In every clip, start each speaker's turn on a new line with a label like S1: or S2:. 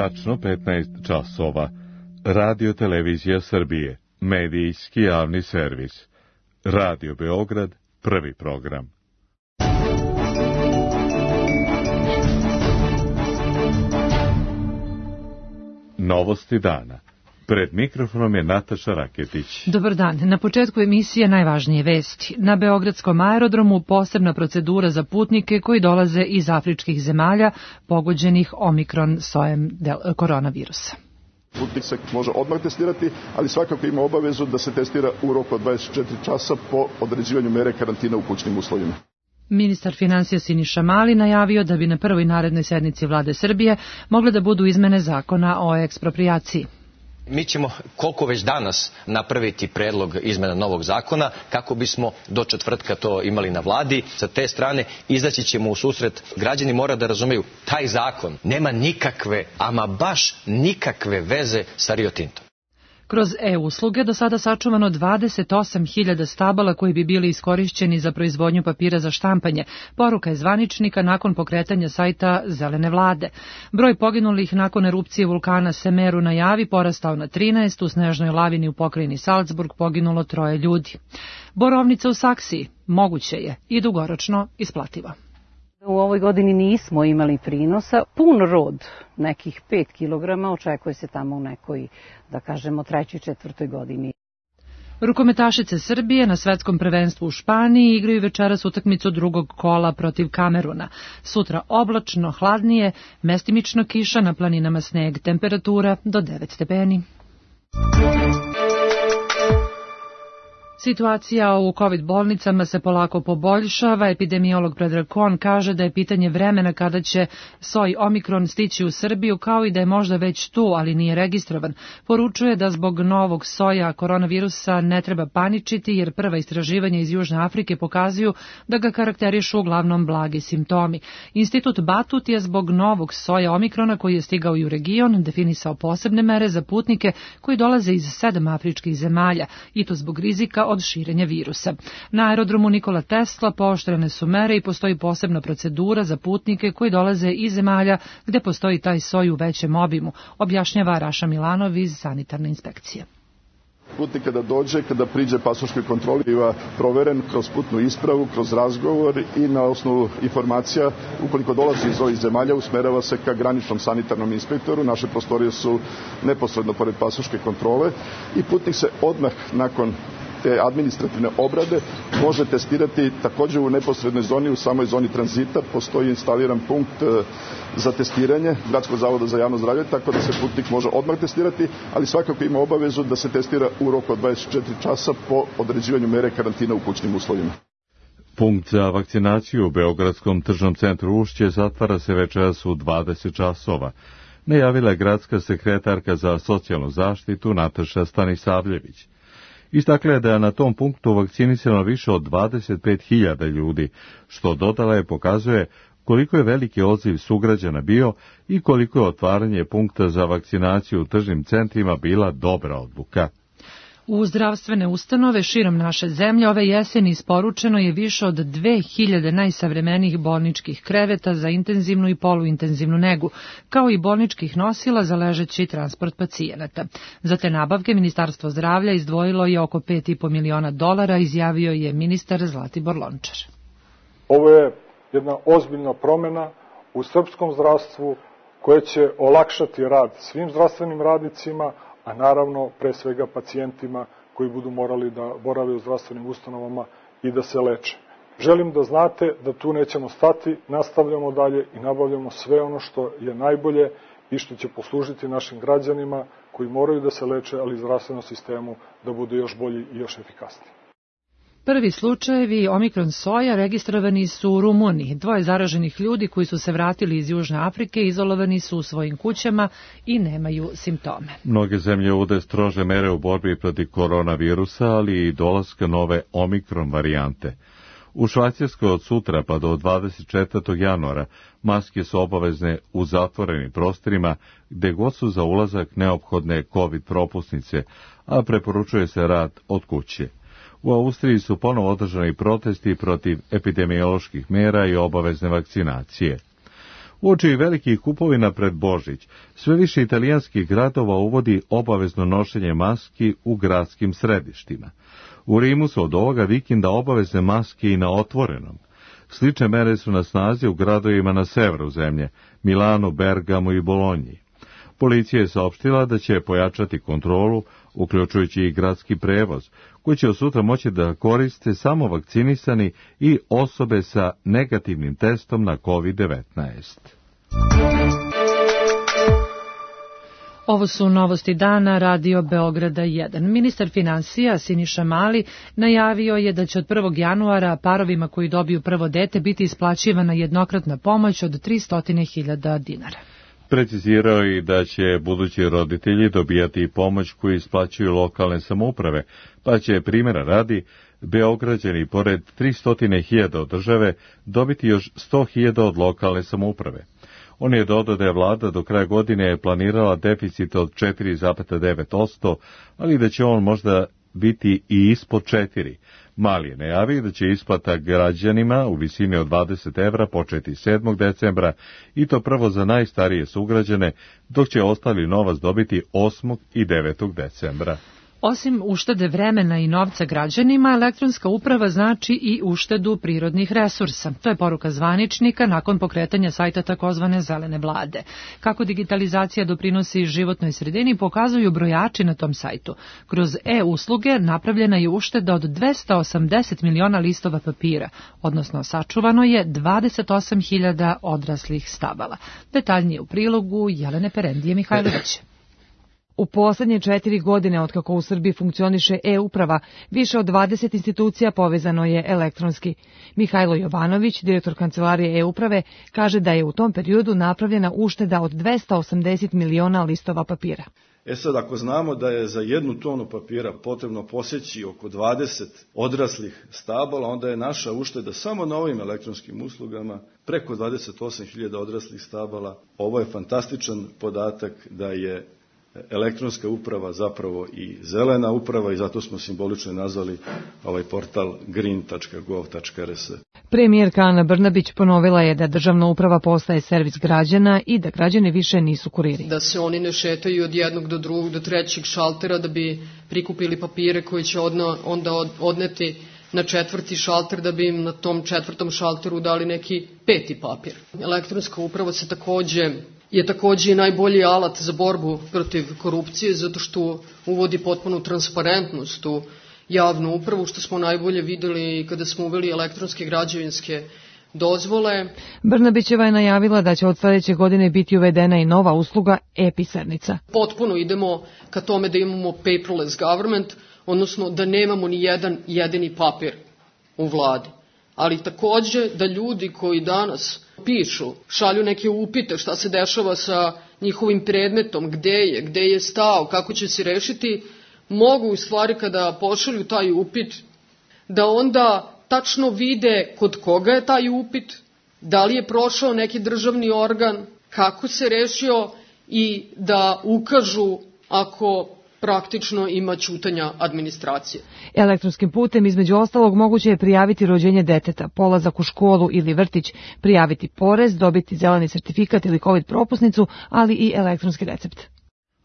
S1: Tačno 15 časova. Radio Televizija Srbije. Medijski javni servis. Radio Beograd, prvi program. Novosti dana. Pred mikrofonom je Nataša Raketić.
S2: Dobar dan. Na početku emisije najvažnije vesti. Na Beogradskom aerodromu posebna procedura za putnike koji dolaze iz afričkih zemalja pogođenih omikron sojem koronavirusa.
S3: Putnik se može odmah testirati, ali svakako ima obavezu da se testira u roku od 24 časa po određivanju mere karantina u kućnim uslovima.
S2: Ministar finansija Siniša Mali najavio da bi na prvoj narednoj sednici Vlade Srbije mogle da budu izmene zakona o eksproprijaciji.
S4: Mi ćemo koliko već danas napraviti predlog izmena novog zakona kako bismo do četvrtka to imali na vladi. Sa te strane izaći ćemo u susret. Građani mora da razumeju, taj zakon nema nikakve, ama baš nikakve veze sa Rio Tintom.
S2: Kroz e-usluge do sada sačuvano 28.000 stabala koji bi bili iskorišćeni za proizvodnju papira za štampanje. Poruka je zvaničnika nakon pokretanja sajta Zelene vlade. Broj poginulih nakon erupcije vulkana Semeru na Javi porastao na 13, u snežnoj lavini u pokrajini Salzburg poginulo 3 ljudi. Borovnica u Saksiji moguće je i dugoročno isplativa.
S5: U ovoj godini nismo imali prinosa, pun rod, nekih 5 kilograma, očekuje se tamo u nekoj, da kažemo, 3. 4. godini.
S2: Rukometašice Srbije na svetskom prvenstvu u Španiji igraju večeras utakmicu drugog kola protiv Kameruna. Sutra oblačno, hladnije, mestimično kiša, na planinama sneg, temperatura do 9 stepeni. Situacija u COVID bolnicama se polako poboljšava. Epidemiolog Predrag Kon kaže da je pitanje vremena kada će soj omikron stići u Srbiju, kao i da je možda već tu, ali nije registrovan. Poručuje da zbog novog soja koronavirusa ne treba paničiti, jer prva istraživanja iz Južne Afrike pokazuju da ga karakterišu uglavnom blagi simptomi. Institut Batut je zbog novog soja omikrona koji je stigao i u region definisao posebne mere za putnike koji dolaze iz 7 afričkih zemalja, i to zbog rizika od širenja virusa. Na aerodromu Nikola Tesla pooštrene su mere i postoji posebna procedura za putnike koji dolaze iz zemalja gde postoji taj soj u većem obimu, objašnjava Raša Milanov iz sanitarne inspekcije.
S3: Putnik kada dođe, kada priđe pasoškoj kontroli, biva proveren kroz putnu ispravu, kroz razgovor i na osnovu informacija, ukoliko dolazi iz ovih zemalja, usmerava se ka graničnom sanitarnom inspektoru. Naše prostorije su neposredno pored pasoške kontrole i putnik se odmah nakon te administrativne obrade može testirati također u neposrednoj zoni, u samoj zoni tranzita. Postoji instaliran punkt za testiranje Gradskog zavoda za javno zdravlje, tako da se putnik može odmah testirati, ali svakako ima obavezu da se testira u roku od 24 časa po određivanju mere karantina u kućnim uslovima.
S1: Punkt za vakcinaciju u Beogradskom tržnom centru Ušće zatvara se večeras u 20 časova. Najavila je gradska sekretarka za socijalnu zaštitu Nataša Stanisavljević. Istakla je da je na tom punktu vakcinisano više od 25.000 ljudi, što dodala je pokazuje koliko je veliki odziv sugrađana bio i koliko je otvaranje punkta za vakcinaciju u tržnim centrima bila dobra odluka.
S2: U zdravstvene ustanove širom naše zemlje ove jeseni isporučeno je više od 2000 najsavremenijih bolničkih kreveta za intenzivnu i poluintenzivnu negu, kao i bolničkih nosila za ležeći transport pacijenata. Za te nabavke Ministarstvo zdravlja izdvojilo je oko $5,5 miliona, izjavio je ministar Zlatibor Lončar.
S6: Ovo je jedna ozbiljna promjena u srpskom zdravstvu koja će olakšati rad svim zdravstvenim radnicima, a naravno pre svega pacijentima koji budu morali da borave u zdravstvenim ustanovama i da se leče. Želim da znate da tu nećemo stati, nastavljamo dalje i nabavljamo sve ono što je najbolje i što će poslužiti našim građanima koji moraju da se leče, ali i zdravstvenom sistemu da bude još bolji i još efikasniji.
S2: Prvi slučajevi omikron soja registrovani su u Rumuniji. 2 zaraženih ljudi koji su se vratili iz Južne Afrike izolovani su u svojim kućama i nemaju simptome.
S1: Mnoge zemlje uvode strože mere u borbi protiv koronavirusa, ali i dolaska nove omikron varijante. U Švajcarskoj od sutra pa do 24. januara maske su obavezne u zatvorenim prostorima gde god su za ulazak neophodne COVID propusnice, a preporučuje se rad od kuće. U Austriji su ponovo održani protesti protiv epidemioloških mera i obavezne vakcinacije. Uoči velikih kupovina pred Božić, sve više italijanskih gradova uvodi obavezno nošenje maski u gradskim središtima. U Rimu su od ovoga vikenda obavezne maske i na otvorenom. Slične mere su na snazi u gradovima na severu zemlje, Milanu, Bergamu i Bolonji. Policija je saopštila da će pojačati kontrolu, uključujući i gradski prevoz, koji će od sutra moći da koriste samo vakcinisani i osobe sa negativnim testom na COVID-19.
S2: Ovo su novosti dana Radio Beograda 1. Ministar finansija Siniša Mali najavio je da će od 1. januara parovima koji dobiju prvo dete biti isplaćivana jednokratna pomoć od 300.000 dinara.
S1: Precizirao i da će budući roditelji dobijati pomoć koju isplaćuju lokalne samouprave, pa će, primjera radi, Beograđani pored 300.000 od države dobiti još 100.000 od lokalne samouprave. On je dodao da je vlada do kraja godine planirala deficit od 4,9%, ali da će on možda biti i ispod 4%. Mali je najavio da će isplata građanima u visini od 20 evra početi 7. decembra i to prvo za najstarije sugrađane, dok će ostali novac dobiti 8. i 9. decembra.
S2: Osim uštede vremena i novca građanima, elektronska uprava znači i uštedu prirodnih resursa. To je poruka zvaničnika nakon pokretanja sajta takozvane zelene vlade. Kako digitalizacija doprinosi životnoj sredini pokazuju brojači na tom sajtu. Kroz e-usluge napravljena je ušteda od 280 miliona listova papira, odnosno sačuvano je 28.000 odraslih stabala. Detaljnije u prilogu Jelene Perendije Mihajlović.
S7: U poslednje 4 godine otkako u Srbiji funkcioniše e-uprava, više od 20 institucija povezano je elektronski. Mihajlo Jovanović, direktor kancelarije e-uprave, kaže da je u tom periodu napravljena ušteda od 280 miliona listova papira.
S8: Sad, ako znamo da je za 1 tonu papira potrebno poseći oko 20 odraslih stabala, onda je naša ušteda samo na ovim elektronskim uslugama preko 28.000 odraslih stabala. Ovo je fantastičan podatak da je elektronska uprava zapravo i zelena uprava i zato smo simbolično nazvali ovaj portal green.gov.rs.
S7: Premijerka Ana Brnabić ponovila je da državna uprava postaje servis građana i da građani više nisu kuriri.
S9: Da se oni ne šetaju od jednog do drugog do trećeg šaltera da bi prikupili papire koje će onda odneti na 4. šalter da bi im na tom 4. šalteru dali neki 5. papir. Elektronska uprava je takođe i najbolji alat za borbu protiv korupcije, zato što uvodi potpunu transparentnost u javnu upravu, što smo najbolje videli kada smo uveli elektronske građevinske dozvole.
S7: Brnabićeva je najavila da će od sledeće godine biti uvedena i nova usluga e-pisarnica.
S9: Potpuno idemo ka tome da imamo paperless government, odnosno da nemamo ni jedan jedini papir u vladi. Ali takođe da ljudi koji danas pišu, šalju neke upite šta se dešava sa njihovim predmetom, gde je stao, kako će se rešiti, mogu u stvari kada pošalju taj upit da onda tačno vide kod koga je taj upit, da li je prošao neki državni organ, kako se rešio i da ukažu ako praktično ima ćutanja administracije.
S7: Elektronskim putem između ostalog moguće je prijaviti rođenje deteta, polazak u školu ili vrtić, prijaviti porez, dobiti zeleni sertifikat ili COVID propusnicu, ali i elektronski recept.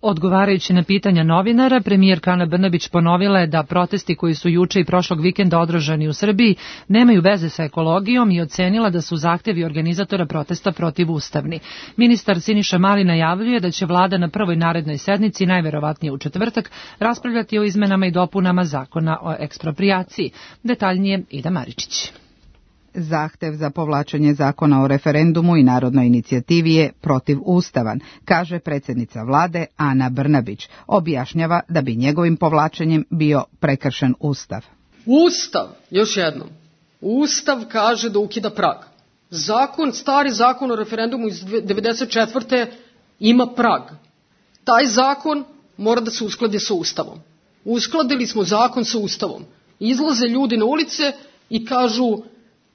S2: Odgovarajući na pitanja novinara, premijerka Ana Brnabić ponovila je da protesti koji su juče i prošlog vikenda održani u Srbiji nemaju veze sa ekologijom i ocenila da su zahtevi organizatora protesta protivustavni. Ministar Siniša Mali najavljuje da će vlada na prvoj narednoj sednici, najverovatnije u četvrtak, raspravljati o izmenama i dopunama zakona o eksproprijaciji. Detaljnije Ida Maričić.
S10: Zahtev za povlačenje zakona o referendumu i narodnoj inicijativi je protivustavan, kaže predsjednica vlade Ana Brnabić. Objašnjava da bi njegovim povlačenjem bio prekršen Ustav.
S9: Ustav, još jednom, Ustav kaže da ukida prag. Stari zakon o referendumu iz 1994. ima prag. Taj zakon mora da se uskladi sa Ustavom. Uskladili smo zakon sa Ustavom. Izlaze ljudi na ulice i kažu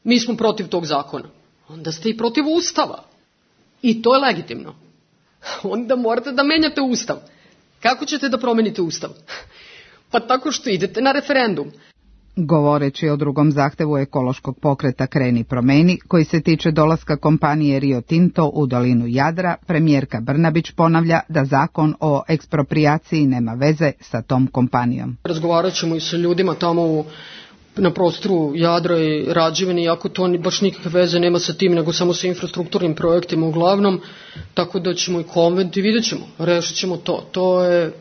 S9: mi smo protiv tog zakona. Onda ste i protiv Ustava. I to je legitimno. Onda morate da menjate Ustav. Kako ćete da promenite Ustav? Pa tako što idete na referendum.
S10: Govoreći o drugom zahtevu ekološkog pokreta Kreni promeni, koji se tiče dolaska kompanije Rio Tinto u dolinu Jadra, premijerka Brnabić ponavlja da zakon o eksproprijaciji nema veze sa tom kompanijom.
S9: Razgovarat ćemo i sa ljudima tamo na prostoru Jadra i Rađevine, iako to baš nikakve veze nema sa tim, nego samo sa infrastrukturnim projektima uglavnom, tako da ćemo i konvent i vidjet ćemo, rešit ćemo to. To je,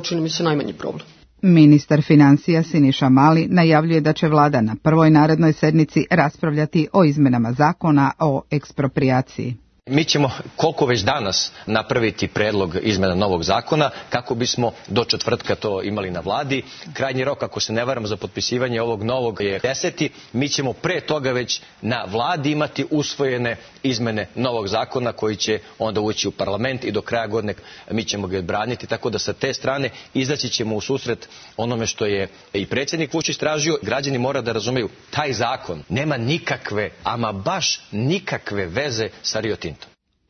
S9: čini mi se, najmanji problem.
S10: Ministar financija Siniša Mali najavljuje da će vlada na prvoj narednoj sednici raspravljati o izmenama zakona o eksproprijaciji.
S4: Mi ćemo koliko već danas napraviti predlog izmena novog zakona kako bismo do četvrtka to imali na vladi. Krajnji rok, ako se ne varam, za potpisivanje ovog novog je 10. Mi ćemo pre toga već na vladi imati usvojene izmene novog zakona koji će onda ući u parlament i do kraja godine mi ćemo ga braniti. Tako da sa te strane izaći ćemo u susret onome što je i predsjednik Vučić tražio. Građani mora da razumeju, taj zakon nema nikakve, ama baš nikakve veze sa Rio Tinto.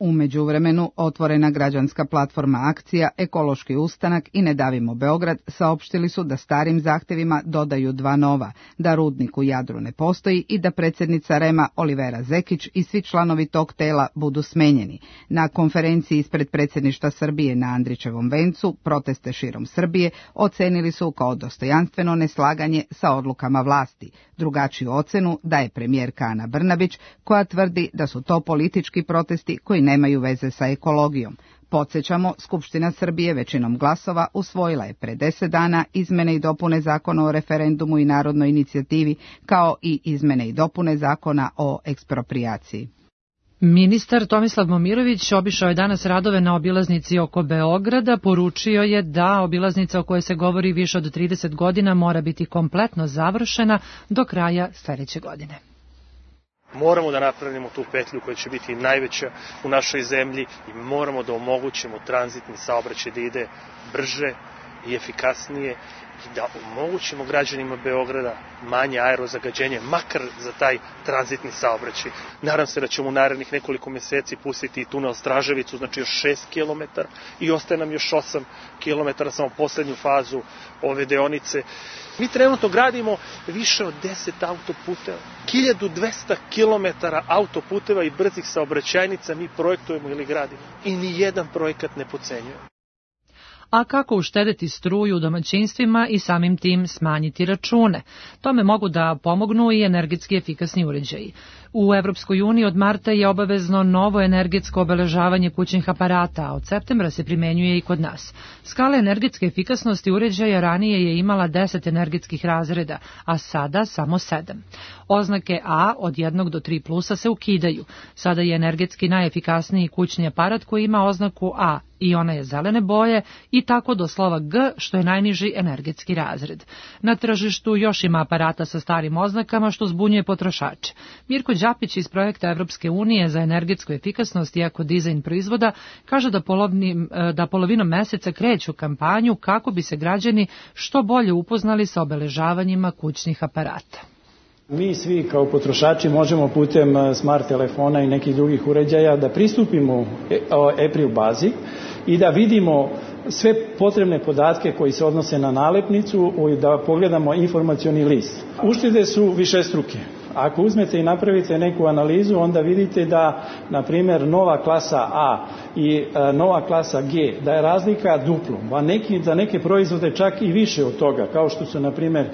S10: U međuvremenu otvorena građanska platforma Akcija, Ekološki ustanak i Ne davimo Beograd saopštili su da starim zahtevima dodaju dva nova, da rudnik u Jadru ne postoji i da predsjednica REM-a Olivera Zekić i svi članovi tog tela budu smenjeni. Na konferenciji ispred predsjedništva Srbije na Andrićevom vencu proteste širom Srbije ocenili su kao dostojanstveno neslaganje sa odlukama vlasti. Drugačiju ocenu daje premijerka Ana Brnabić, koja tvrdi da su to politički protesti koji nemaju veze sa ekologijom. Podsjećamo, Skupština Srbije većinom glasova usvojila je pre 10 dana izmene i dopune zakona o referendumu i narodnoj inicijativi, kao i izmene i dopune zakona o eksproprijaciji.
S2: Ministar Tomislav Momirović obišao je danas radove na obilaznici oko Beograda. Poručio je da obilaznica o kojoj se govori više od 30 godina mora biti kompletno završena do kraja sljedeće godine.
S11: Moramo da napravimo tu petlju koja će biti najveća u našoj zemlji i moramo da omogućimo tranzitni saobraćaj da ide brže i efikasnije i da omogućimo građanima Beograda manje aerozagađenje, makar za taj tranzitni saobraćaj. Nadam se da ćemo u narednih nekoliko mjeseci pustiti i tunel Straževicu, znači još 6 km i ostaje nam još 8 km, samo poslednju fazu ove deonice. Mi trenutno gradimo više od 10 autoputeva, 1200 km autoputeva i brzih saobraćajnica mi projektujemo ili gradimo i ni jedan projekat ne potcenjujemo.
S2: A kako uštedeti struju u domaćinstvima i samim tim smanjiti račune? Tome mogu da pomognu i energetski efikasni uređaji. U Evropskoj uniji od marta je obavezno novo energetsko obeležavanje kućnih aparata, a od septembra se primenjuje i kod nas. Skala energetske efikasnosti uređaja ranije je imala 10 energetskih razreda, a sada samo 7. Oznake A od 1 do 3 plusa se ukidaju. Sada je energetski najefikasniji kućni aparat koji ima oznaku A i ona je zelene boje i tako do slova G, što je najniži energetski razred. Na tržištu još ima aparata sa starim oznakama, što zbunjuje potrošače. Mirko Đapić iz projekta Evropske unije za energetsku efikasnost i ekodizajn proizvoda kaže da polovinom meseca kreću kampanju kako bi se građani što bolje upoznali sa obeležavanjima kućnih aparata.
S12: Mi svi kao potrošači možemo putem smart telefona i nekih drugih uređaja da pristupimo e-pril bazi i da vidimo sve potrebne podatke koji se odnose na nalepnicu i da pogledamo informacioni list. Uštede su višestruke. Ako uzmete i napravite neku analizu, onda vidite da, na primjer, nova klasa A i nova klasa G, da je razlika duplo, a za neke proizvode čak i više od toga, kao što su, na primjer,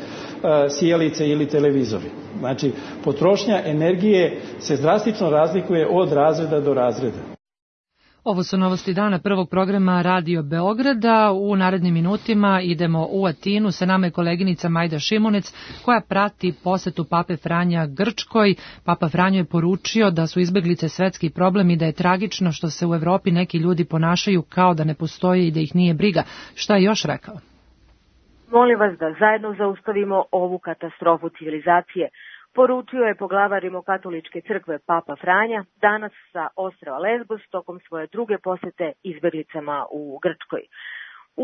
S12: sijalice ili televizori. Znači, potrošnja energije se drastično razlikuje od razreda do razreda.
S2: Ovo su novosti dana prvog programa Radio Beograda. U narednim minutima idemo u Atinu. Sa nama je koleginica Majda Šimunec koja prati posetu Pape Franja Grčkoj. Papa Franjo je poručio da su izbeglice svetski problem i da je tragično što se u Evropi neki ljudi ponašaju kao da ne postoje i da ih nije briga. Šta je još rekao?
S13: Molim vas da zajedno zaustavimo ovu katastrofu civilizacije, poručio je poglavar Rimokatoličke crkve Papa Franja danas sa ostrva Lesbos tokom svoje druge posete izbeglicama u Grčkoj.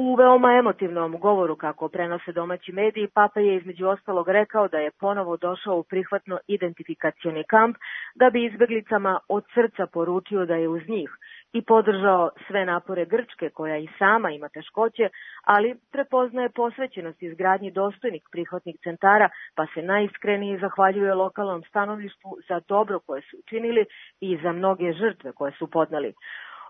S13: U veoma emotivnom govoru, kako prenose domaći mediji, Papa je između ostalog rekao da je ponovo došao u prihvatno identifikacioni kamp da bi izbeglicama od srca poručio da je uz njih i podržao sve napore Grčke, koja i sama ima teškoće, ali prepoznaje posvećenost izgradnji dostojnih prihvatnih centara, pa se najiskrenije zahvaljuje lokalnom stanovništvu za dobro koje su učinili i za mnoge žrtve koje su podneli.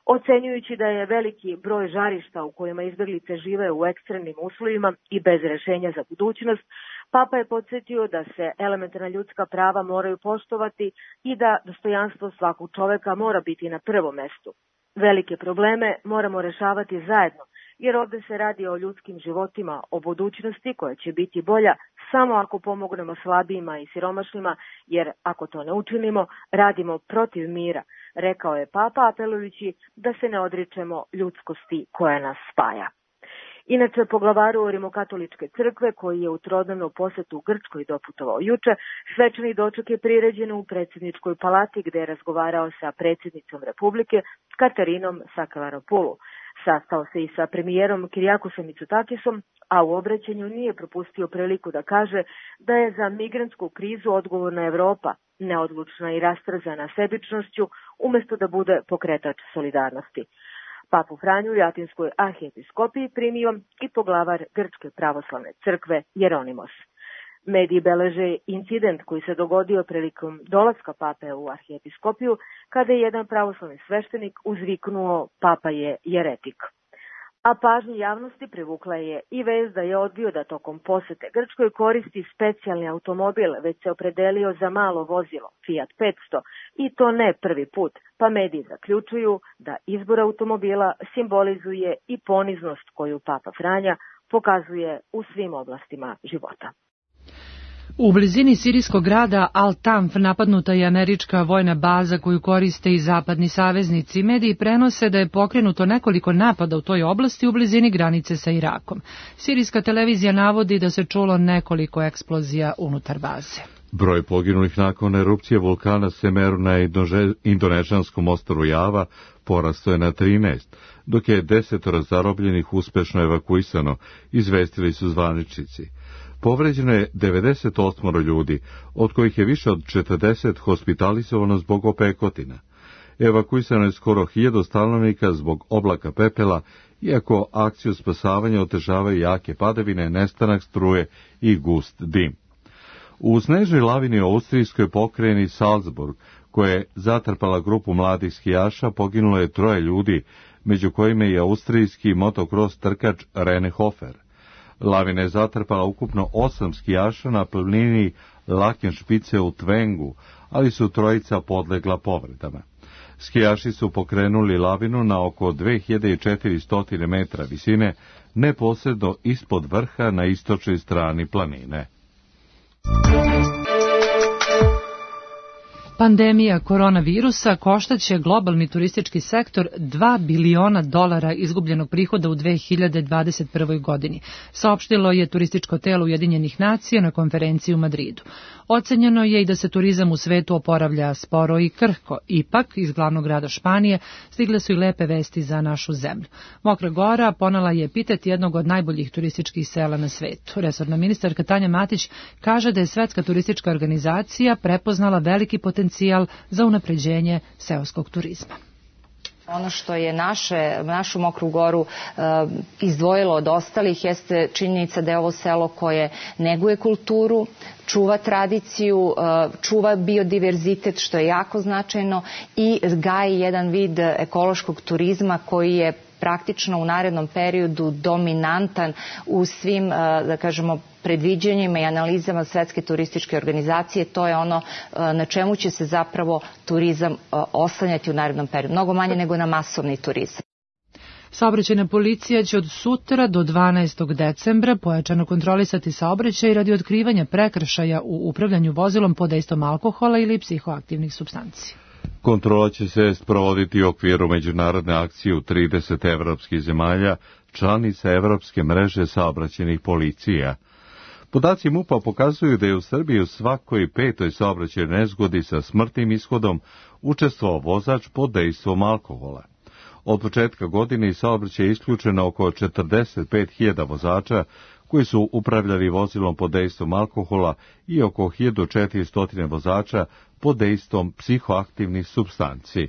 S13: Ocenjujući da je veliki broj žarišta u kojima izbeglice žive u ekstremnim uslovima i bez rešenja za budućnost, Papa je podsjetio da se elementarna ljudska prava moraju poštovati i da dostojanstvo svakog čoveka mora biti na prvom mestu. Velike probleme moramo rešavati zajedno, jer ovde se radi o ljudskim životima, o budućnosti koja će biti bolja samo ako pomognemo slabijima i siromašnima, jer ako to ne učinimo, radimo protiv mira, rekao je Papa, apelujući da se ne odričemo ljudskosti koja nas spaja. Inače, poglavaru Rimokatoličke crkve, koji je u trodnevnu posetu u Grčkoj doputovao juče, svečani doček je priređen u predsjedničkoj palati gde je razgovarao sa predsjednicom Republike Katarinom Sakavaropulu. Sastao se i sa premijerom Kirijakosom Mitsotakisom, a u obraćanju nije propustio priliku da kaže da je za migrantsku krizu odgovorna Evropa, neodlučna i rastrzana sebičnošću, umesto da bude pokretač solidarnosti. Papu Franju u Atinskoj arhijepiskopiji primio i poglavar Grčke pravoslavne crkve Jeronimos. Mediji beleže incident koji se dogodio prilikom dolaska pape u arhijepiskopiju, kada je jedan pravoslavni sveštenik uzviknuo Papa je jeretik. A pažnju javnosti privukla je i vest da je odbio da tokom posete Grčkoj koristi specijalni automobil, već se opredelio za malo vozilo Fiat 500 i to ne prvi put, pa mediji zaključuju da izbor automobila simbolizuje i poniznost koju Papa Franja pokazuje u svim oblastima života.
S2: U blizini sirijskog grada Al-Tanf napadnuta je američka vojna baza koju koriste i zapadni saveznici. Mediji prenose da je pokrenuto nekoliko napada u toj oblasti u blizini granice sa Irakom. Sirijska televizija navodi da se čulo nekoliko eksplozija unutar baze.
S1: Broj poginulih nakon erupcije vulkana Semeru na indonežanskom ostrvu Java porastao je na 13, dok je 10 zarobljenih uspešno evakuisano, izvestili su zvaničnici. Povređeno je 98 ljudi, od kojih je više od 40 hospitalizovano zbog opekotina. Evakuisano je skoro 1000 stanovnika zbog oblaka pepela, iako akciju spasavanja otežavaju jake padavine, nestanak struje i gust dim. U snežnoj lavini u austrijskoj pokrajini Salzburg, koja je zatrpala grupu mladih skijaša, poginulo je 3 ljudi, među kojima je austrijski motocross trkač Rene Hofer. Lavina je zatrpala ukupno 8 skijaša na planini Lakenšpice u Tvengu, ali su 3 podlegla povredama. Skijaši su pokrenuli lavinu na oko 2400 metra visine, neposredno ispod vrha na istočnoj strani planine.
S2: Pandemija koronavirusa koštaće globalni turistički sektor $2 biliona izgubljenog prihoda u 2021. godini, saopštilo je turističko telo Ujedinjenih nacija na konferenciji u Madridu. Ocenjeno je i da se turizam u svetu oporavlja sporo i krhko. Ipak, iz glavnog grada Španije stigle su i lepe vesti za našu zemlju. Mokra Gora ponela je epitet jednog od najboljih turističkih sela na svetu. Resorna ministarka Tanja Matić kaže da je Svetska turistička organizacija prepoznala veliki potencijal za unapređenje seoskog turizma.
S14: Ono što je našu Mokru Goru izdvojilo od ostalih jeste činjenica da je ovo selo koje neguje kulturu, čuva tradiciju, čuva biodiverzitet, što je jako značajno, i gaji jedan vid ekološkog turizma koji je praktično u narednom periodu dominantan u svim, da kažemo, predviđanjima i analizama Svetske turističke organizacije. To je ono na čemu će se zapravo turizam oslanjati u narednom periodu. Mnogo manje nego na masovni turizam.
S2: Saobraćajna policija će od sutra do 12. decembra pojačano kontrolisati saobraćaj radi otkrivanja prekršaja u upravljanju vozilom pod dejstvom alkohola ili psihoaktivnih supstanci.
S1: Kontrola će se sprovoditi u okviru međunarodne akcije u 30 evropskih zemalja, članica Evropske mreže saobraćajnih policija. Podaci MUP-a pokazuju da je u Srbiji u svakoj 5. saobraćajnoj nezgodi sa smrtnim ishodom učestvovao vozač pod dejstvom alkohola. Od početka godine iz saobraćaja je isključeno oko 45.000 vozača koji su upravljali vozilom pod dejstvom alkohola i oko 1400 vozača pod dejstvom psihoaktivnih supstanci.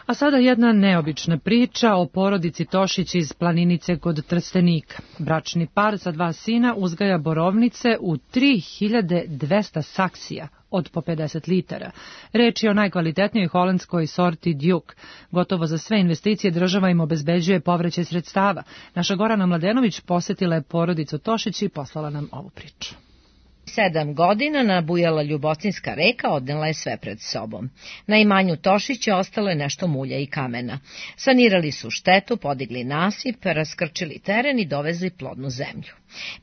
S2: A sada jedna neobična priča o porodici Tošić iz Planinice kod Trstenika. Bračni par sa 2 sina uzgaja borovnice u 3200 saksija od po 50 litara. Reč je o najkvalitetnijoj holandskoj sorti Duke. Gotovo za sve investicije država im obezbeđuje povraćaj sredstava. Naša Gorana Mladenović posetila je porodicu Tošić i poslala nam ovu priču.
S15: 7 godina nabujala Ljubotinska reka odnela je sve pred sobom. Na imanju Tošića ostalo je nešto mulja i kamena. Sanirali su štetu, podigli nasip, raskrčili teren i dovezli plodnu zemlju.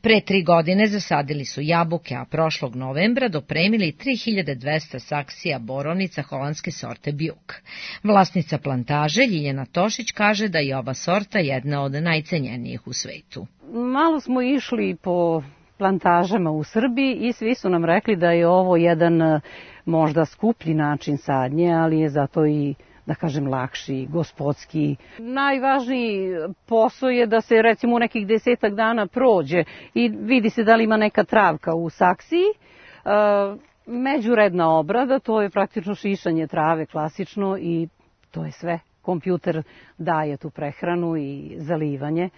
S15: Pre 3 godine zasadili su jabuke, a prošlog novembra dopremili 3200 saksija borovnica holandske sorte Bjuk. Vlasnica plantaže Ljiljana Tošić kaže da je ova sorta jedna od najcenjenijih u svetu.
S5: Malo smo išli po plantažama u Srbiji i svi su nam rekli da je ovo jedan možda skuplji način sadnje, ali je zato i, da kažem, lakši, gospodski. Najvažniji posao je da se recimo u nekih 10 dana prođe i vidi se da li ima neka travka u saksiji. Međuredna obrada, to je praktično šišanje trave klasično i to je sve. Kompjuter daje tu prehranu i zalivanje.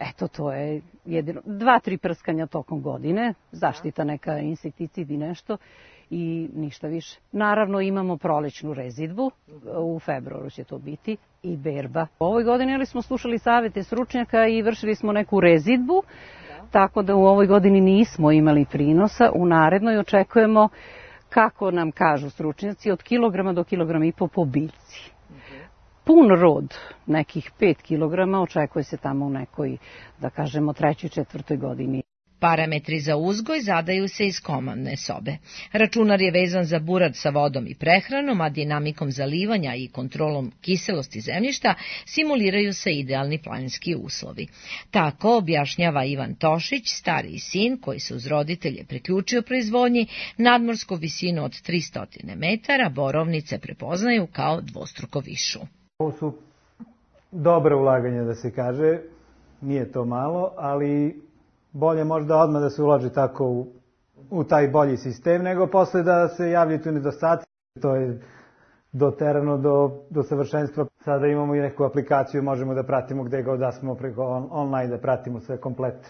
S5: Eto, to je jedino 2-3 prskanja tokom godine, zaštita neka insekticid i nešto i ništa više. Naravno imamo prolećnu rezidbu, u februaru će to biti, i berba. U ovoj godini smo slušali savete stručnjaka i vršili smo neku rezidbu, tako da u ovoj godini nismo imali prinosa. U narednoj očekujemo, kako nam kažu stručnjaci, od kilograma do kilograma i po biljci. Pun rod, nekih 5 kilograma, očekuje se tamo u nekoj, da kažemo, 3. 4. godini.
S15: Parametri za uzgoj zadaju se iz komandne sobe. Računar je vezan za burad sa vodom i prehranom, a dinamikom zalivanja i kontrolom kiselosti zemljišta simuliraju se idealni planinski uslovi. Tako objašnjava Ivan Tošić, stariji sin koji se uz roditelje priključio proizvodnji, nadmorsku visinu od 300 metara borovnice prepoznaju kao dvostruko višu.
S16: Ovo su dobra ulaganja, da se kaže, nije to malo, ali bolje možda odmah da se uloži tako u taj bolji sistem, nego posle da se javljaju tu nedostaci. To je doterano do savršenstva. Sada imamo i neku aplikaciju, možemo da pratimo gde god da smo preko online, da pratimo sve komplet.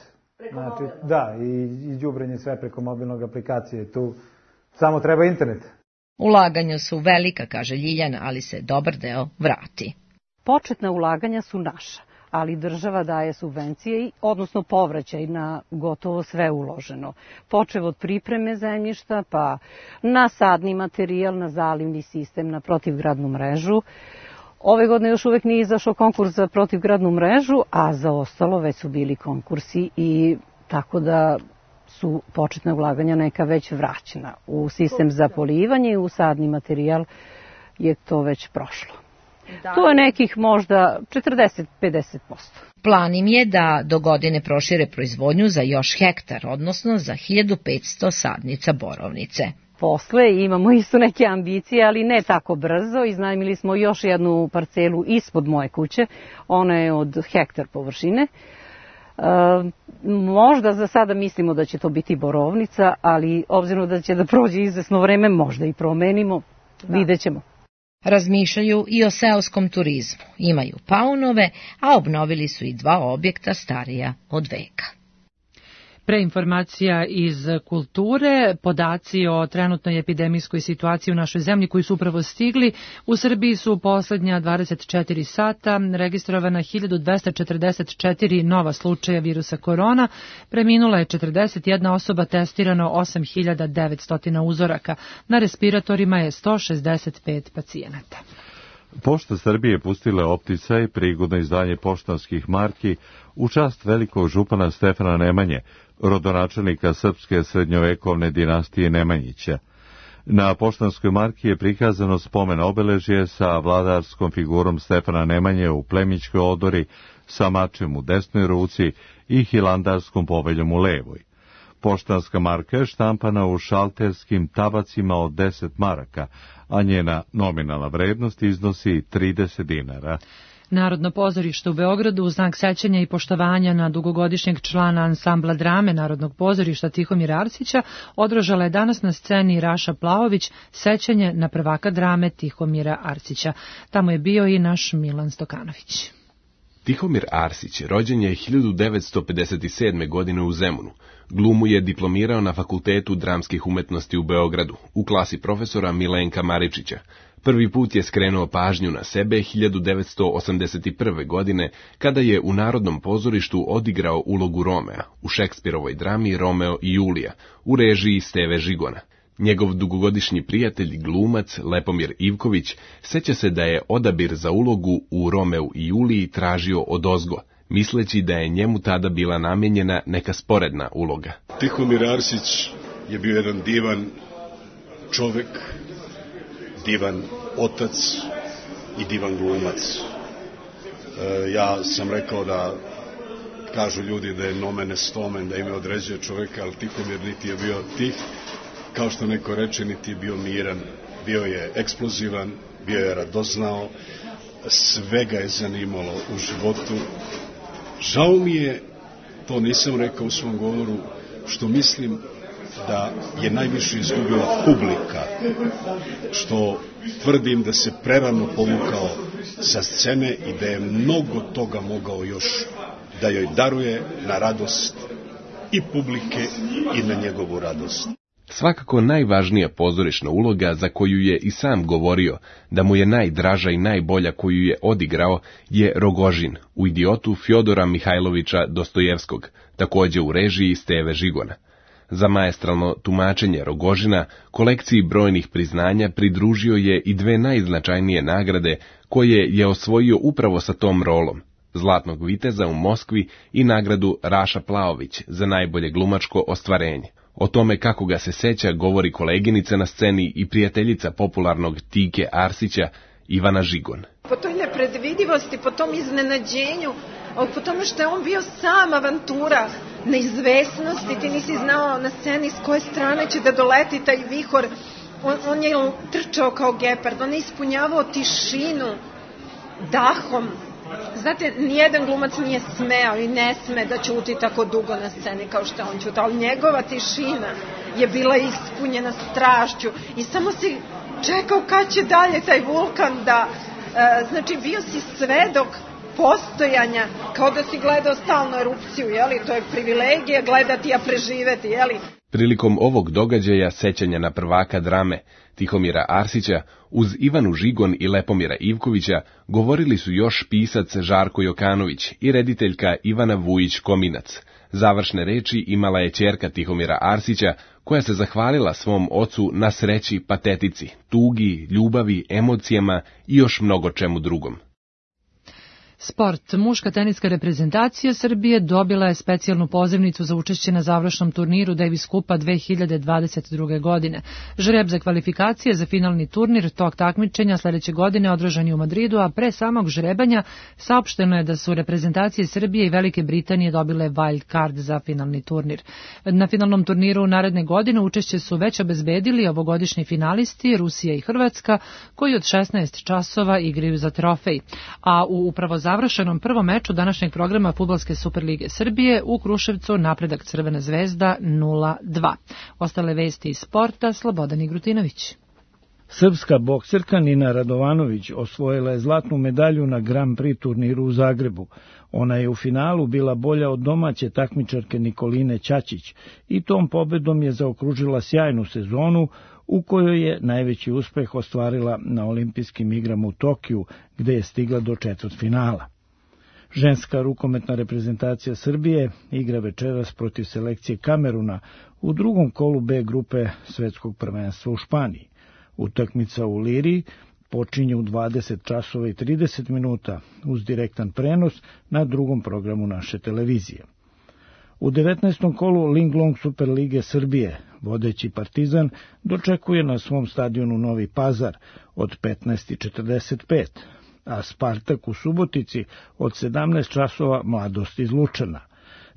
S16: Znači, da, i đubrenje sve preko mobilnog aplikacije. Tu samo treba internet.
S15: Ulaganja su velika, kaže Ljiljana, ali se dobar deo vrati.
S5: Početna ulaganja su naša, ali država daje subvencije, odnosno povraćaj na gotovo sve uloženo. Počev od pripreme zemljišta, pa na sadni materijal, na zalivni sistem, na protivgradnu mrežu. Ove godine još uvek nije izašao konkurs za protivgradnu mrežu, a za ostalo već su bili konkursi i tako da su početna ulaganja neka već vraćena. U sistem za polivanje i u sadni materijal je to već prošlo. To je nekih možda 40-50%.
S15: Plan im je da do godine prošire proizvodnju za još hektar, odnosno za 1500 sadnica borovnice.
S5: Posle imamo isto neke ambicije, ali ne tako brzo. Iznajmili smo još jednu parcelu ispod moje kuće. Ona je od hektar površine. Možda za sada mislimo da će to biti borovnica, ali obzirom da će da prođe izvesno vreme, možda i promenimo. Vidjet ćemo.
S15: Razmišljaju i o seoskom turizmu. Imaju paunove, a obnovili su i 2 objekta starija od veka.
S2: Pre informacija iz kulture, podaci o trenutnoj epidemijskoj situaciji u našoj zemlji koji su upravo stigli. U Srbiji su u poslednja 24 sata registrovana 1244 nova slučaja virusa korona. Preminula je 41 osoba, testirano 8900 uzoraka. Na respiratorima je 165 pacijenata.
S1: Pošta Srbije pustila opticaj, prigodno izdanje poštanskih marki u čast velikog župana Stefana Nemanje, rodonačelnika srpske srednjovekovne dinastije Nemanjića. Na poštanskoj marki je prikazano spomen obeležje sa vladarskom figurom Stefana Nemanje u plemićkoj odori, sa mačem u desnoj ruci i hilandarskom poveljom u levoj. Poštanska marka je štampana u šalterskim tabacima od 10 maraka, a njena nominalna vrednost iznosi 30 dinara.
S2: Narodno pozorište u Beogradu u znak sećanja i poštovanja na dugogodišnjeg člana ansambla drame Narodnog pozorišta Tihomira Arsića održala je danas na sceni Raša Plaović sećanje na prvaka drame Tihomira Arsića. Tamo je bio i naš Milan Stokanović.
S17: Tihomir Arsić rođen je 1957. godine u Zemunu. Glumu je diplomirao na Fakultetu dramskih umetnosti u Beogradu, u klasi profesora Milenka Maričića. Prvi put je skrenuo pažnju na sebe 1981. godine, kada je u Narodnom pozorištu odigrao ulogu Romea u Šekspirovoj drami Romeo i Julija, u režiji Steve Žigona. Njegov dugogodišnji prijatelj, glumac Lepomir Ivković, seća se da je odabir za ulogu u Romeu i Juliji tražio odozgo, misleći da je njemu tada bila namijenjena neka sporedna uloga.
S18: Tihomir Arsić je bio jedan divan čovek, divan otac i divan glumac. Ja sam rekao da kažu ljudi da je nomen est omen, da ime određuje čoveka, ali Tihomir niti je bio tih, kao što neko reče, niti je bio miran. Bio je eksplozivan, bio je radoznao, sve ga je zanimalo u životu. Žao mi je, to nisam rekao u svom govoru, što mislim da je najviše izgubila publika, što tvrdim da se prerano povukao sa scene i da je mnogo toga mogao još da joj daruje na radost i publike i na njegovu radost.
S17: Svakako najvažnija pozorišna uloga za koju je i sam govorio da mu je najdraža i najbolja koju je odigrao je Rogožin u Idiotu Fjodora Mihajlovića Dostojevskog, takođe u režiji Steve Žigona. Za maestralno tumačenje Rogožina kolekciji brojnih priznanja pridružio je i dve najznačajnije nagrade koje je osvojio upravo sa tom rolom, Zlatnog viteza u Moskvi i nagradu Raša Plaović za najbolje glumačko ostvarenje. O tome kako ga se seća govori koleginica na sceni i prijateljica popularnog Tike Arsića, Ivana Žigon.
S19: Po toj nepredvidivosti, po tom iznenađenju, po tome što je on bio sam avantura, neizvesnosti, ti nisi znao na sceni s koje strane će da doleti taj vihor, on je trčao kao gepard, on je ispunjavao tišinu dahom. Znate, nijedan glumac nije smeo i ne sme da ćuti tako dugo na sceni kao što on ćuta, ali njegova tišina je bila ispunjena strašću i samo si čekao kad će dalje taj vulkan da, znači bio si svedok postojanja, kao da si gledao stalno erupciju, jeli, to je privilegija gledati, a preživeti, jeli.
S17: Prilikom ovog događaja sećanja na prvaka drame Tihomira Arsića, uz Ivanu Žigon i Lepomira Ivkovića govorili su još pisac Žarko Jokanović i rediteljka Ivana Vujić-Kominac. Završne reči imala je ćerka Tihomira Arsića, koja se zahvalila svom ocu na sreći, patetici, tugi, ljubavi, emocijama i još mnogo čemu drugom.
S2: Sport. Muška teniska reprezentacija Srbije dobila je specijalnu pozivnicu za učešće na završnom turniru Davis Kupa 2022. godine. Žreb za kvalifikacije za finalni turnir tog takmičenja sledeće godine održan je u Madridu, a pre samog žrebanja saopšteno je da su reprezentacije Srbije i Velike Britanije dobile wild card za finalni turnir. Na finalnom turniru naredne godine učešće su već obezbedili ovogodišnji finalisti Rusija i Hrvatska, koji od 16 časova igraju za trofej. A u upravo završenom prvom meču današnjeg programa Fudbalske Superlige Srbije u Kruševcu napredak Crvena zvezda 0-2. Ostale vesti iz sporta, Slobodan Igrutinović.
S20: Srpska bokserka Nina Radovanović osvojila je zlatnu medalju na Grand Prix turniru u Zagrebu. Ona je u finalu bila bolja od domaće takmičarke Nikoline Ćaćić i tom pobedom je zaokružila sjajnu sezonu u kojoj je najveći uspeh ostvarila na olimpijskim igrama u Tokiju, gde je stigla do četvrtfinala. Ženska rukometna reprezentacija Srbije igra večeras protiv selekcije Kameruna u drugom kolu B grupe svetskog prvenstva u Španiji. Utakmica u Liriji počinje u 20 časova i 30 minuta uz direktan prenos na drugom programu naše televizije. U 19. kolu Linglong Superlige Srbije vodeći Partizan dočekuje na svom stadionu Novi Pazar od 15:45, a Spartak u Subotici od 17 časova Mladost iz Lučana.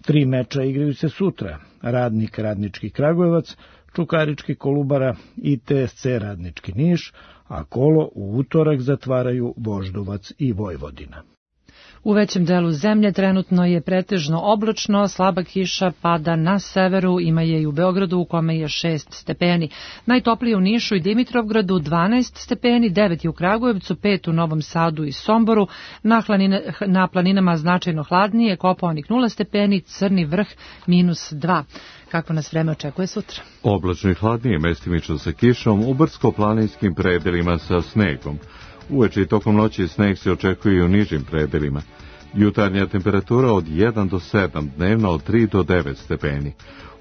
S20: 3 meča igraju se sutra, Radnik Radnički Kragujevac, Čukarički Kolubara i TSC Radnički Niš, a kolo u utorak zatvaraju Voždovac i Vojvodina.
S2: U većem delu zemlje trenutno je pretežno oblačno, slaba kiša pada na severu, ima je i u Beogradu u kome je 6 stepeni. Najtoplije u Nišu i Dimitrovgradu 12 stepeni, 9 je u Kragujevcu, 5 u Novom Sadu i Somboru, na planinama značajno hladnije, Kopaonik 0 stepeni, Crni vrh -2. Kako nas vreme očekuje sutra?
S1: Oblačno i hladnije, mestimično sa kišom, u brdsko-planinskim predelima sa snegom. Uveče i tokom noći sneg se očekuje i u nižim predelima. Jutarnja temperatura od 1 do 7, dnevno od 3 do 9 stepeni.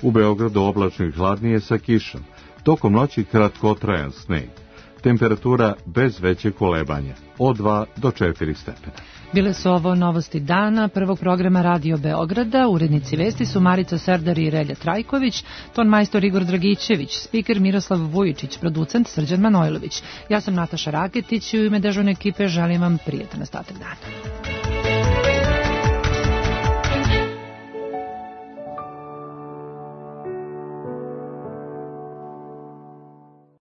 S1: U Beogradu oblačno i hladnije sa kišom. Tokom noći kratkotrajan sneg. Temperatura bez veće kolebanja, od 2 do 4 stepena.
S2: Bile su ovo novosti dana prvog programa Radio Beograda. Urednici vesti su Marica Serdar i Relja Trajković, ton majstor Igor Dragićević, spiker Miroslav Vujičić, producent Srđan Manojlović. Ja sam Nataša Raketić i u ime dežurne ekipe želim vam prijetan ostatak dana.